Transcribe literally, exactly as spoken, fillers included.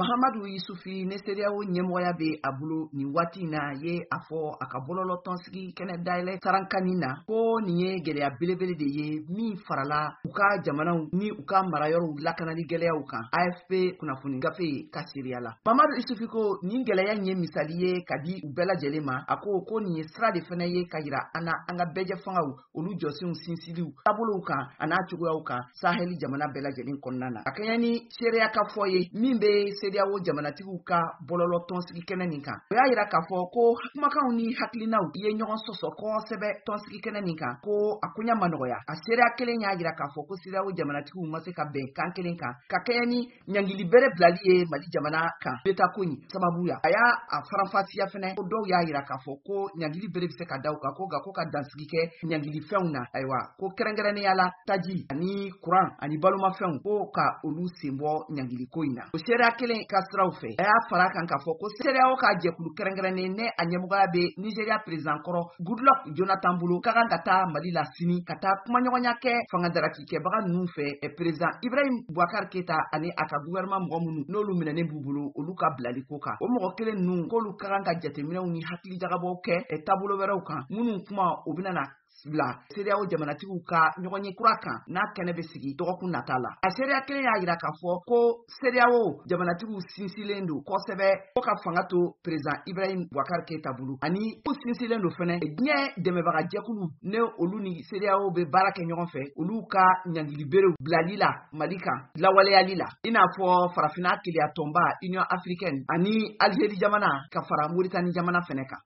Mahamadu Yusufi ne CEDEAO ɲɛmɔgɔya bɛ a bolo nin waati in na ye a fɔ a ka bɔlɔlɔ tɔnsigi kɛnɛ dayɛlɛ sarankani na ko nin ye gɛlɛya belebele de ye min farala u ka jamanaw ni u ka marayɔrɔw lakanali gɛlɛyaw kan, A F P kunnafoni gafe ka seereya la. Mamadu Isufi ko nin gɛlɛya in ye misali ye ka di u bɛɛ lajɛlen ma. A ko ko nin ye sira de fana ye ka yira an na an ka bɛɛjɛ fangaw olu jɔsenw sinsiliw taabolow kan a n'a cogoyaw kan Sahɛli jamana bɛɛ lajɛlen kɔnɔna na. A kɛɲɛ ni seereya ka fɔ ye min bɛ CEDEAO jamanatigiw ka bɔlɔlɔ tɔnsigi kɛnɛ nin kan, o y'a yira k'a fɔ ko kumakanw ni hakilinaw ye ɲɔgɔn sɔsɔ kosɛbɛ tɔnsigi kɛnɛ nin kan, ko a koɲa ma nɔgɔya. A seereya kelen y'a yira k'a fɔ ko CEDEAO jamanatigiw ma se ka bɛn kan kelen kan ka kɛɲɛ ni ɲangili bere bilali ye Mali jamana kan beta ko in sababu ya. A y'a a faranfasiya fɛnɛ ko dɔw y'a yira k'a fɔ ko ɲangili bere bɛ se ka da u kan, ko nka ko ka dansigi kɛ ɲangili fɛnw na, ayiwa, ko kɛrɛnkɛrɛnnenya la taji ani kuran ani balomafɛnw, ko ka olu sen bɔ ɲangili ko in na. O seereya kelen ka siraw fɛ, a y'a fara kan k'a fɔ ko CEDEAO ka jɛkulu kɛrɛnkɛrɛnnen ne a ɲɛmɔgɔya bɛ Nigeria président kɔrɔ Goodluck Jonathan bolo ka kan ka taa Mali la sini ka taa kumaɲɔgɔnya kɛ fangadaraki-kɛbaga ninnu fɛ, président Ibrahim Boubacar Keita ani a ka gouvernement mɔgɔ minnu n'olu minɛnen b'u bolo, olu ka bilali ko kan. O mɔgɔ kelen ninnu k'olu ka kan ka jateminɛw ni hakilijagabɔw kɛ taabolo wɛrɛw kan minnu kuma o bɛna na bila CEDEAO jamanatigiw ka ɲɔgɔnye kura kan n'a kɛnɛ bɛ sigi dɔgɔkun nata la. A seereya kelen y'a yira k'a fɔ ko CEDEAO jamanatigiw sinsinlen don kosɛbɛ ko ka fanga to président Ibrahim Boubacar Keita bolo, ani u sinsinlen don fɛnɛ diɲɛ dɛmɛbaga jɛkulu ne olu ni CEDEAO bɛ baara kɛ ɲɔgɔn fɛ, olu ka ɲangili berew bilali la Mali kan lawaleyali la, i n'a fɔ Farafinna Keleya Tɔnba, Union africaine, ani Algérie jamana ka fara Mauritanie jamana fɛnɛ kan.